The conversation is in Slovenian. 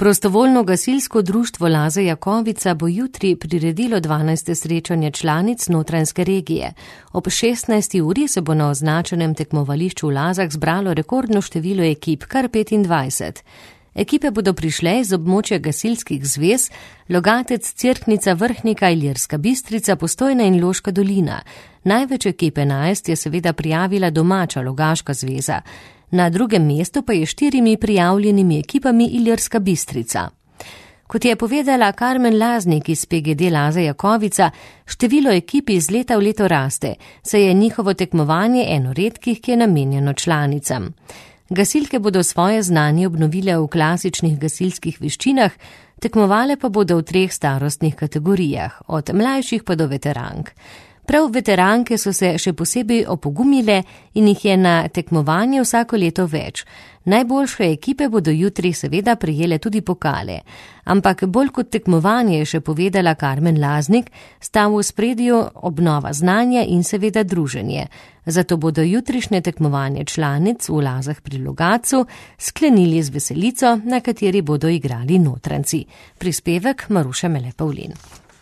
Prostovoljno gasilsko društvo Laze Jakovica bo jutri priredilo 12. srečanje članic Notranjske regije. Ob 16. uri se bo na označenem tekmovališču v Lazah zbralo rekordno število ekip, kar 25. Ekipe bodo prišle iz območja gasilskih zvez Logatec, Cerknica, Vrhnika, Ilirska Bistrica, Postojna in Loška dolina. Največ ekip 11 je seveda prijavila domača Logaška zveza. Na drugem mestu pa je 4 prijavljenimi ekipami Ilirska Bistrica. Kot je povedala Karmen Laznik iz PGD Laze Jakovica, število ekip iz leta v leto raste, saj je njihovo tekmovanje eno redkih, ki je namenjeno članicam. Gasilke bodo svoje znanje obnovile v klasičnih gasilskih veščinah, tekmovale pa bodo v 3 starostnih kategorijah, od mlajših pa do veterank. Prav veteranke so se še posebej opogumile in jih je na tekmovanje vsako leto več. Najboljše ekipe bodo jutri seveda prejele tudi pokale. Ampak bolj kot tekmovanje, je še povedala Karmen Laznik, sta v ospredju obnova znanja in seveda druženje. Zato bodo jutrišnje tekmovanje članic v Lazah pri Logatcu sklenili z veselico, na kateri bodo igrali Notranjci. Prispevek Maruša Mele Pavlin.